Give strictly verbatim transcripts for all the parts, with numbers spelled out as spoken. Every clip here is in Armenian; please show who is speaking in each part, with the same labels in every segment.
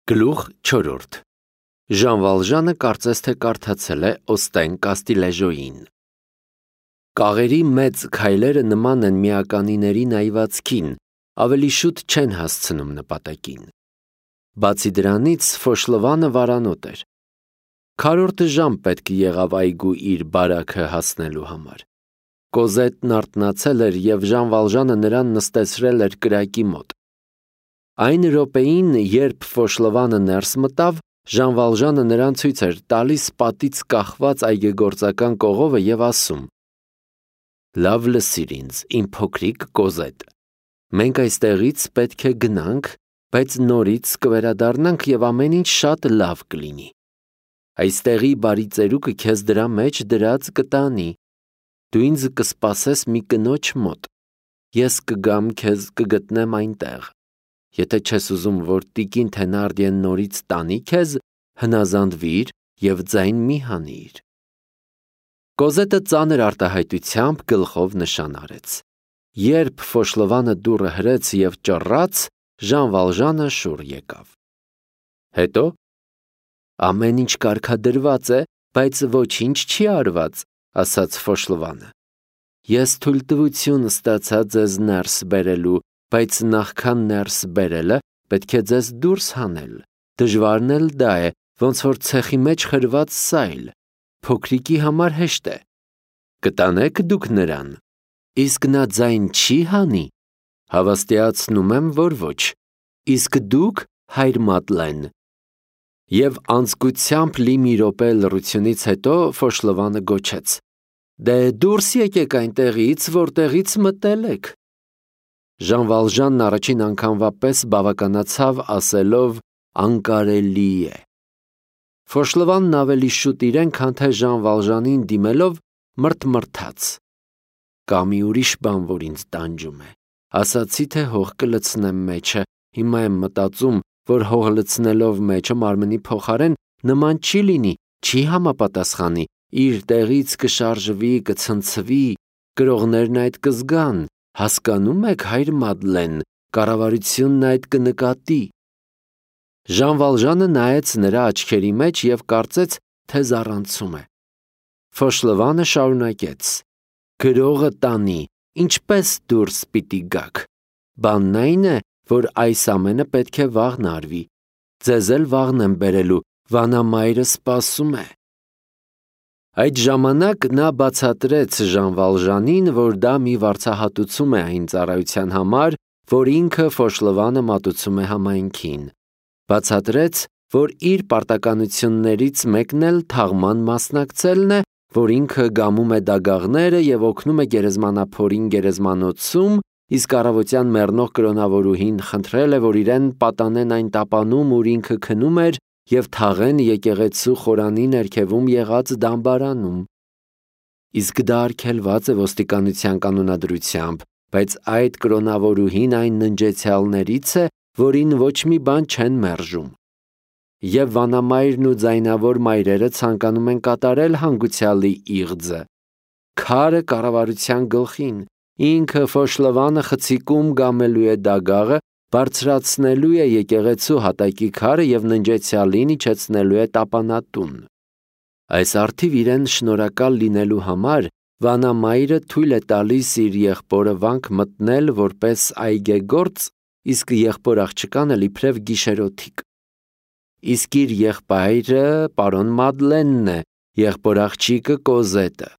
Speaker 1: Գլուխ չորրորդ Ժան Վալժանը կարծես թե կարդացել է Օստեն Կաստիլեժոյին։ Կաղերի մեծ քայլերը նման են միականիների նայվածքին, ավելի շուտ չեն հասցնում նպատակին։ Բացի դրանից Ֆոշլովանը վարանոտ էր։ Քառորդը ժամ պետք եղավ այգու իր բարաքը հասնելու համար։ Կոզետն արթնացել էր և Ժան Վալժանը նրան նստեցրել էր կրակի մոտ։ Այն րոպեին, երբ Ֆոշլովանը ներս մտավ, Ժան Վալժանը նրան ցույց էր տալիս պատից կախված այգեգործական կողովը և ասում. «Լավ լսիր ինձ, իմ փոքրիկ Կոզետ, մենք այստեղից պետք է գնանք, բայց նորից կվերադառնանք և ամեն ինչ շատ լավ կլինի։ Այստեղի բարի ծերուկը քեզ դրա մեջ դրած կտանի։ Դու ինձ կսպասես մի կնոջ մոտ, ես կգամ քեզ կգտնեմ այնտեղ։ Եթե չես ուզում, որ տիկին Թենարդիեն նորից տանի քեզ, հնազանդվիր և ձայն մի հանիր»։ Կոզետը ծանր արտահայտությամբ գլխով նշան արեց։ Երբ Ֆոշլովանը դուռը հրեց և ճռռաց, Ժան Վալժանը շուռ եկավ։ Հետո ամեն ինչ կարգադրված է, բայց ոչինչ չի արված, ասաց Ֆոշլովանը։ Ես թույլտվություն ստացա ձեզ ներս բերելու, բայց նախքան ներս բերելը պետք է ձեզ դուրս հանել։ Դժվարն էլ դա է, ոնց որ ցեխի մեջ խրված սայլ, փոքրիկի համար հեշտ է։ Կտանե՞ք դուք նրան։ Իսկ նա ձայն չի հանի։ Հավաստիացնում եմ, որ ոչ։ Իսկ դուք, հայր Մադլեն։ Եվ անձկությամբ լի մի րոպե լռությունից հետո Ֆոշլովանը գոչեց. Դե դուրս եկեք այնտեղից, որտեղից մտել եք։ Ժան Վալժանն առաջին անգամվա պես բավականացավ ասելով անկարելի է։ Ֆոշլովանն ավելի շուտ իրեն, քան թե Ժան Վալժանին դիմելով մռթմռթաց։ Կա մի ուրիշ բան, որ ինձ տանջում է։ Ասացի, թե հող կլցնեմ մեջը, հիմա եմ մտածում, որ հող լցնելով մեջը մարմնի փոխարեն նման չի լինի, չի համապատասխանի, իր տեղից կշարժվի, կցնցվի, կրողներն այդ կզգան, հասկանում եք, հայր Մադլեն, կառավարությունն այդ կնկատի։ Ժան Վալժանը նայեց նրա աչքերի մեջ և կարծեց, թե զառանցում է։ Ֆոշլովանը շարունակեց. Գրողը տանի, ինչպես դուրս պիտի գաք։ Բանն այն է, որ այս ամենը պետք է վաղն արվի։ Ձեզ էլ վաղն եմ բերելու, վանամայրը սպասում է։ Այդ ժամանակ նա բացատրեց Ժան Վալժանին, որ դա մի վարձահատուցում է այն ծառայության համար, որ ինքը Ֆոշլովանը մատուցում է համայնքին։ Բացատրեց, որ իր պարտականություններից մեկն էլ թաղման մասնակցելն է, որ ինքը գամում է դագաղները և օգնում է գերեզմանափորին գերեզմանոցում, իսկ առավոտյան մեռնող կրոնավորուհին խնդրել է, որ իրեն պատանեն այն տապանում, ուր ինքը քնում էր, և թաղեն եկեղեցու խորանի ներքևում եղած դամբարանում։ Իսկ դա արգելված է ոստիկանության կանոնադրությամբ, բայց այդ կրոնավորուհին այն ննջեցյալներից է, որին ոչ մի բան չեն մերժում։ Եվ վանամայրն ու ձայնավոր մայրերը ցանկանում են կատարել հանգուցյալի իղձը։ Քարը կառավարության գլխին, ինքը Ֆոշլովանը խցիկում գամելու է դագաղը, բարձրացնելու է եկեղեցու հատակի քարը և ննջեցյալին իջեցնելու է տապանատուն։ Այս առթիվ իրեն շնորհակալ լինելու համար վանամայրը թույլ է տալիս իր եղբորը վանք մտնել որպես այգեգործ, իսկ եղբոր աղջկան էլ իբրև գիշերօթիկ։ Իսկ իր եղբայրը պարոն Մադլենն է, եղբոր աղջիկը Կոզետը։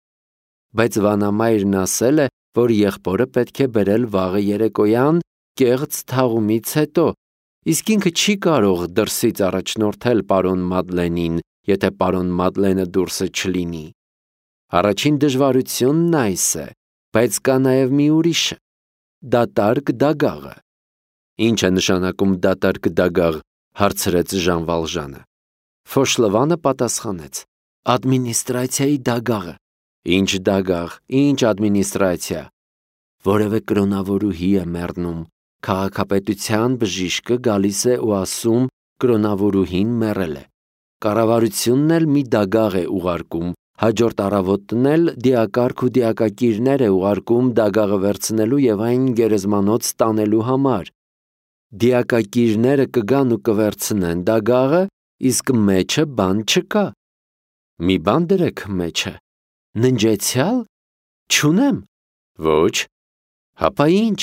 Speaker 1: Բայց վանամայրն ասել է, որ եղբորը պետք է բերել վաղը երեկոյան կեղծ թաղումից հետո, իսկ ինքը չի կարող դրսից առաջնորդել պարոն Մադլենին, եթե պարոն Մադլենը դուրսը չլինի։ Առաջին դժվարությունն այս է, բայց կա նաև մի ուրիշը՝ դատարկ դագաղը։ Ինչ է նշանակում դատարկ դագաղ, հարցրեց Ժան Վալժանը։ Ֆոշլովանը պատասխանեց. Ադմինիստրացիայի դագաղը։ Ինչ դագաղ, ինչ ադմինիստրացիա։ Որևէ կրոնավորուհի է մեռնում, քաղաքապետության բժիշկը գալիս է ու ասում կրոնավորուհին մեռել է։ Կառավարությունն էլ մի դագաղ է ուղարկում, հաջորդ առավոտն էլ դիակարգ ու դիակակիրներ է ուղարկում դագաղը վերցնելու և այն գերեզմանոց տանելու համար։ Դիակակիրները կգան ու կվերցնեն դագաղը, իսկ մեջը բան չկա։ Մի բան դրեք մեջը։ Ննջեցյալ։ Չունեմ։ Ոչ։ Հապա ինչ։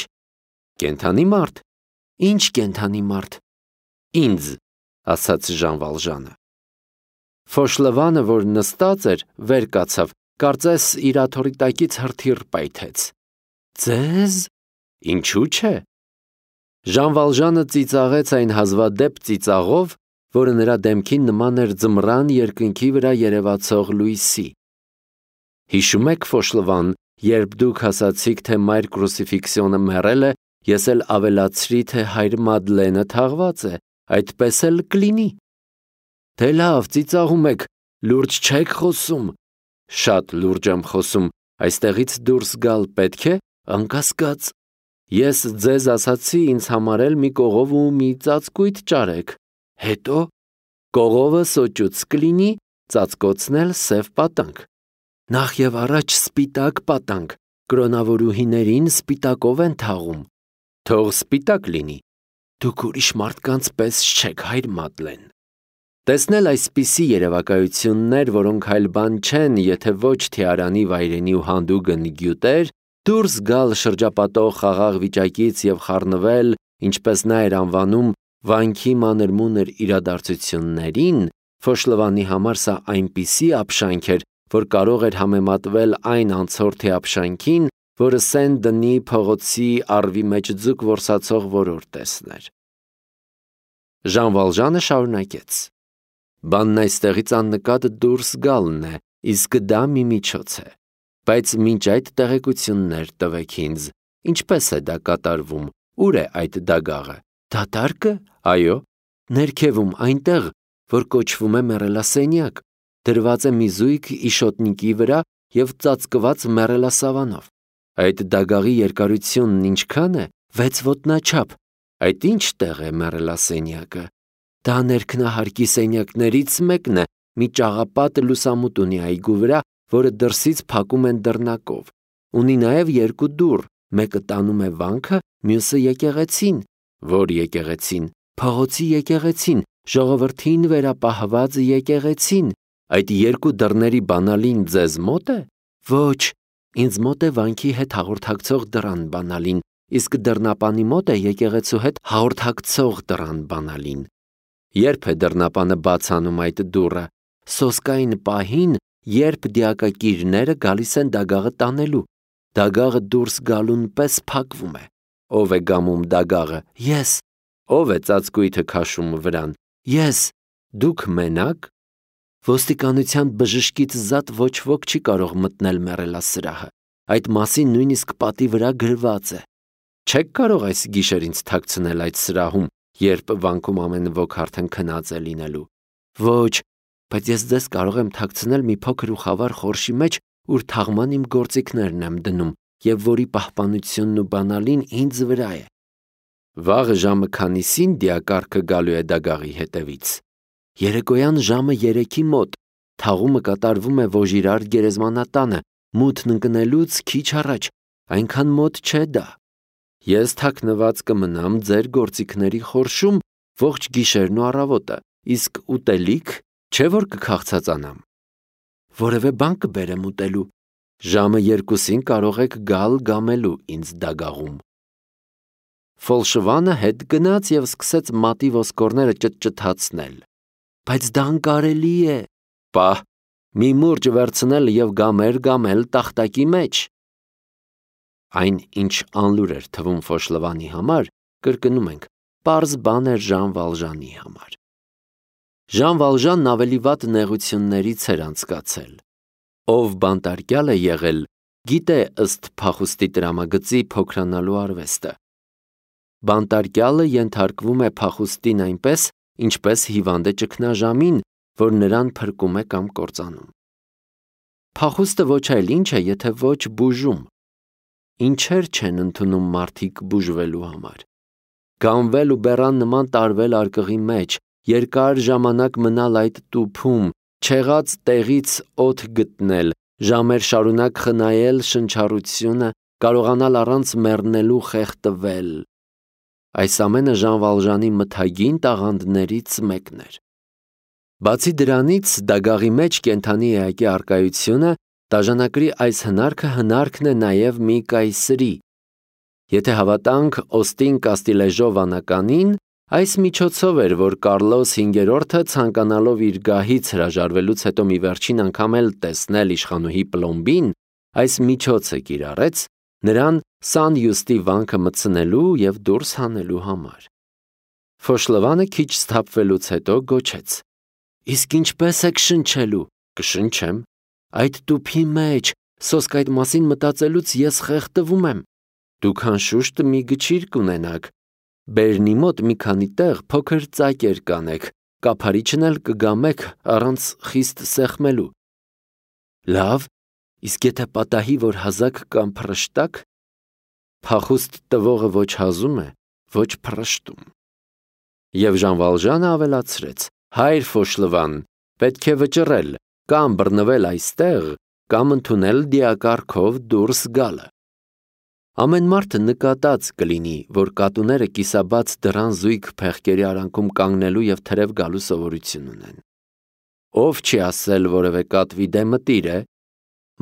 Speaker 1: Կենդանի մարդ։ Ինչ կենդանի մարդ։ Ինձ, ասաց Ժան Վալժանը։ Ֆոշլվանը, որ նստած էր, վեր կացավ, կարծես իր աթոռի տակից հրթիռ պայթեց։ Ձեզ։ Ինչու՞ չէ։ Ժան Վալժանը ծիծաղեց այն հազվադեպ ծիծաղով, որը նրա դեմքին նման էր ձմռան երկնքի վրա երևացող լույսի։ Հիշում եք, Ֆոշլվան, երբ դուք ասացիք, թե մայր կրուսիֆիքսիոնը մեռել է, ես էլ ավելացրի, թե հայր Մադլենը թաղված է, այդպես էլ կլինի։ Դե լավ, ծիծաղում եք, լուրջ չեք խոսում։ Շատ լուրջ եմ խոսում, այստեղից դուրս գալ պետք է, անկասկած։ Ես ձեզ ասացի ինձ համարել մի կողով ու մի ծածկույթ ճարեք։ Հետո կողովը սոճուց կլինի, ծածկոցն էլ սև պատանք։ Նախ եւ առաջ սպիտակ պատանք, կրոնավորուհիներին սպիտակով են թաղում։ Թող սպիտակ լինի։ Դուք ուրիշ մարդկանց պես չեք, հայր Մադլեն։ Տեսնել այսպիսի երևակայություններ, որոնք այլ բան չեն, եթե ոչ թիարանի վայրենի ու հանդուգն գյուտեր, դուրս գալ շրջապատող խաղաղ վիճակից եւ խառնվել, ինչպես նա էր անվանում, վանքի մանր-մունր իրադարձություններին, Ֆոշլվանի համար սա այնպիսի ապշանք էր, որ կարող էր համեմատվել այն անցորդի ապշանքին, որը Սեն Դնի փողոցի առվի մեջ ձուկ որսացող որոր տեսներ։ Ժան Վալժանը շարունակեց. Բանն այստեղից աննկատ դուրս գալն է, իսկ դա մի միջոց է, բայց մինչ այդ տեղեկություններ տվեք ինձ, ինչպես է դա կատարվում, ուր է այդ դագաղը, դատարկ է, այո, ներքևում այնտեղ, որ կոչվում է մեռելասենյակ, դրված է մի զույգ իշոտնիկի վրա և ծածկված մեռելասավանով, այդ դագաղի երկարությունն ինչքան է, վեց ոտնաչափ, այդ ինչ տեղ է մեռելասենյակը, դա ներքնահարկի սենյակներից մեկն է, մի ճաղապատ լուսամուտ ունի այգու վրա, որը դրսից փակում են դռնակով, ունի նաև երկու դուռ, մեկը տանում է վանքը, մյուսը եկեղեցին, որ եկեղեցին, փողոցի եկեղեցին, ժողովրդին վերապահված եկեղեցին, այդ երկու դռների բանալին ձեզ մոտ է, ոչ, ինձ մոտ է վանքի հետ հաղորդակցող դռան բանալին, իսկ դռնապանի մոտ է եկեղեցու հետ հաղորդակցող դռան բանալին։ Երբ է դռնապանը բաց անում այդ դուռը, սոսկային պահին, երբ դիակակիրները գալիս են դագաղը տանելու, դագաղը դուրս գալուն պես փակվում է, ով է գամում դագաղը, ես, ով է ծածկույթը քաշում վրան, ես, դուք մենակ, ոստիկանության բժշկից զատ ոչ ոք չի կարող մտնել մեռելասրահը, այդ մասին նույնիսկ պատի վրա գրված է, չեք կարող այս գիշեր ինձ թաքցնել այդ սրահում, երբ վանքում ամեն ոք արդեն քնած է լինելու, ոչ, բայց ես ձեզ կարող եմ թաքցնել մի փոքր ու խավար խորշի մեջ, ուր թաղման իմ գործիքներն եմ դնում, և որի պահպանությունն ու բանալին ինձ վրա է։ Վաղը ժամը քանիսին դիակառքը գալու է դագաղի հետևից։ Երեկոյան ժամը երեքի մոտ, թաղումը կատարվում է Վոժիրար գերեզմանատանը, մութն ընկնելուց քիչ առաջ, այնքան մոտ չէ դա։ Ես թաքնված կմնամ ձեր գործիքների խորշում ողջ գիշերն ու առավոտը, իսկ ուտելիք չէ որ կքաղցածանամ։ Որևէ բան կբերեմ ուտելու, ժամը երկուսին կարող եք գալ գամելու ինձ դագաղում։ Ֆոլշվանը հետ գնաց և սկսեց մատի ոսկորները ճտճտացնել։ Բայց դա անկարելի է։ Պահ, մի մուրճ վերցնել և գամեր գամել տախտակի մեջ։ Այն, ինչ անլուր էր թվում Ֆոշլվանի համար, կրկնում ենք, պարզ բան էր Ժան Վալժանի համար։ Ժան Վալժանն ավելի վատ նեղություններից էր անցկացել։ Ով բանտարկյալ է եղել, գիտե ըստ փախուստի տրամագծի փոքրանալու արվեստը։ Բանտարկյալը ենթարկվում է փախուստին այնպես, ինչպես հիվանդը ճգնաժամին, որ նրան փրկում է կամ կործանում։ Փախուստը ոչ այլ ինչ է, եթե ոչ բուժում։ Ինչեր չեն ընդունում մարդիկ բուժվելու համար։ Գանվել ու բեռան նման տարվել արկղի մեջ, երկար ժամանակ մնալ այդ տուփում, չեղած տեղից օդ գտնել, ժամեր շարունակ խնայել շնչառությունը, կարողանալ առանց մեռնելու խեղդվել։ Այս ամենը Ժան Վալժանի մթագին տաղանդներից մեկն էր։ Բացի դրանից, դագաղի մեջ կենդանի էակի առկայությունը դաժանակրի այս հնարքը հնարքն է նաև մի կայսրի։ Եթե հավատանք Օստին Կաստիլեժո վանականին, այս միջոցով էր, որ Կարլոս հինգերորդը ցանկանալով իր գահից հրաժարվելուց հետո մի վերջին անգամ էլ տեսնել իշխանուհի Պլոմբին, այս միջոցը կիրառեց նրան Սան Յուստի վանքը մտցնելու և դուրս հանելու համար։ Ֆոշլովանը քիչ սթափվելուց հետո գոչեց. «Իսկ ինչպես եք շնչելու»։ «Կշնչեմ։ Այդ տուփի մեջ, սոսկ այդ մասին մտածելուց ես խեղդվում եմ։ Դուք անշուշտ մի գչիր կունենաք։ Բերնի մոտ մի քանի տեղ փոքր ծակեր կանեք, կափարիչն էլ կգամեք առանց խիստ սեղմելու»։ «Լավ, իսկ եթե պատահի, որ հազակ կամ փռշտաք»։ «Փախուստ տվողը ոչ հազում է, ոչ փռշտում»։ Եվ Ժան Վալժանը ավելացրեց. «Հայր Ֆոշլվան, պետք է վճռել, կամ բռնվել այստեղ, կամ ընդունել դիակառքով դուրս գալը»։ Ամեն մարդ նկատած կլինի, որ կատուները կիսաբաց դռան զույգ փեղկերի արանքում կանգնելու և թրև գալու սովորություն ունեն։ Ով չի ասել որևէ կատվի դեմը տիր է։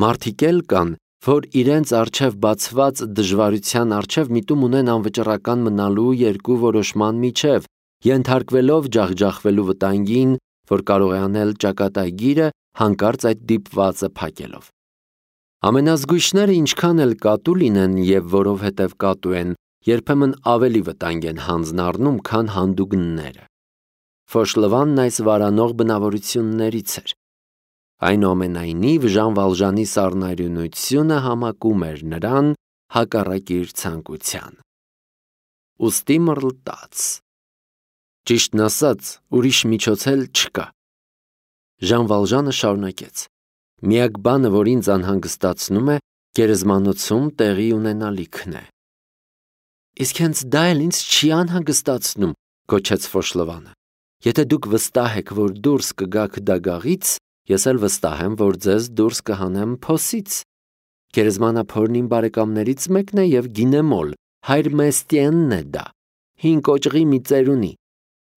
Speaker 1: Մարդիկ էլ կան, որ իրենց առջև բացված դժվարության առջև միտում ունեն անվճռական մնալու երկու որոշման միջև, ենթարկվելով ջախջախվելու վտանգին, որ կարող է անել ճակատագիրը հանկարծ այդ դիպվածը փակելով։ Ամենազգույշները ինչքան էլ կատու լինեն և որովհետև կատու են, երբեմն ավելի վտանգ են հանձն առնում, քան հանդուգնները։ Ֆոշլվանն այս վարանող բնավորություններից էր։ Այնուամենայնիվ Ժան Վալժանի սառնարյունությունը համակում էր նրան հակառակ իր ցանկության։ Ուստի մռլտաց։ Ճիշտն ասած, ուրիշ միջոց էլ չկա։ Ժան Վալժանը շարունակեց. «Միակ բանը, որ ինձ անհանգստացնում է, գերեզմանոցում տեղի ունենալիքն է»։ «Իսկ հենց դա էլ ինձ չի անհանգստացնում», գոչեց Ֆոշլվանը։ «Եթե դուք վստահ եք, որ դուրս կգաք դագաղից, ես էլ վստահ եմ, որ ձեզ դուրս կհանեմ փոսից։ Գերեզմանափորն իմ բարեկամներից մեկն է և գինեմոլ, հայր Մեստիենն է դա, հին կոճղի մի ծերունի։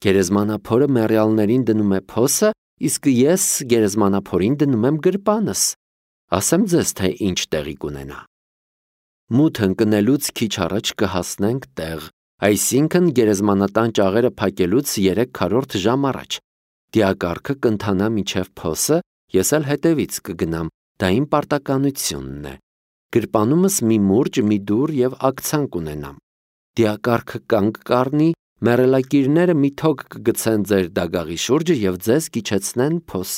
Speaker 1: Գերեզմանափորը մեռյալներին դնում է փոսը, իսկ ես գերեզմանափորին դնում եմ գրպանս։ Ասեմ ձեզ, թե ինչ տեղի կունենա։ Մութ ընկնելուց քիչ առաջ կհասնենք տեղ, այսինքն գերեզմանատան ճաղերը փակելուց երեք քառորդ ժամ առաջ։ Դիակառքը կընթանա մինչև փոսը, ես էլ հետևից կգնամ, դա իմ պարտականությունն է։ Գրպանումս մի մուրճ, մի դուռ և աքցան կունենամ։ Դիակառքը կանգ կառնի, մեռելակիրները մի թոք կգցեն ձեր դագաղի շուրջը և ձեզ կիջեցնեն փոս։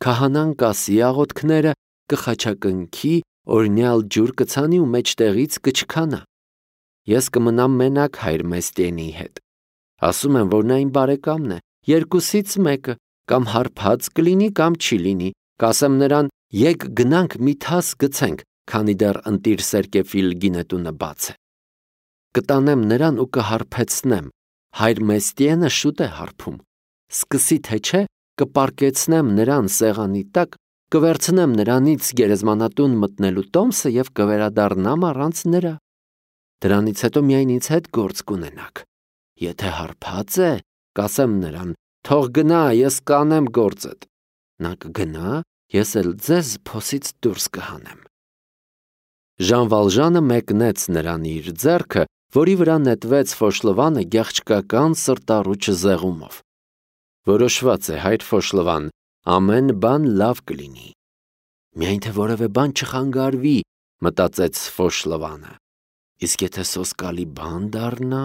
Speaker 1: Քահանան կասի աղոթքները, կխաչակնքի, օրինյալ ջուր կցանի ու մեջտեղից կչքանա։ Ես կմնամ մենակ հայր Մեստիենի հետ։ Ասում եմ, որ նա իմ բարեկամն է, երկուսից մեկը, կամ հարբած կլինի, կամ չի լինի։ Կասեմ նրան. եկ գնանք մի թաս գցենք, քանի դեռ ընտիր Սերկեֆիլ գինետունը բաց է։ Կտանեմ նրան ու կհարբեցնեմ։ Հայր Մեստիենը շուտ է հարբում։ Սկսի թե չէ, կպարկեցնեմ նրան սեղանի տակ, կվերցնեմ նրանից գերեզմանատուն մտնելու տոմսը և կվերադառնամ առանց նրա։ Դրանից հետո միայն ինձ հետ գործ կունենաք։ Եթե հարբած է, կասեմ նրան. թող գնա, ես կանեմ գործդ։ Նա կգնա, ես էլ ձեզ փոսից դուրս կհանեմ։ Ժան Վալժանը մեկնեց նրան իր ձեռքը, որի վրա նետվեց Ֆոշլվանը գեղչկական սրտառուչ զեղումով։ Որոշված է, հայր Ֆոշլվան, ամեն բան լավ կլինի։ Միայն թե որևէ բան չխանգարվի, մտածեց Ֆոշլվանը։ Իսկ եթե սոսկալի բան դառնա։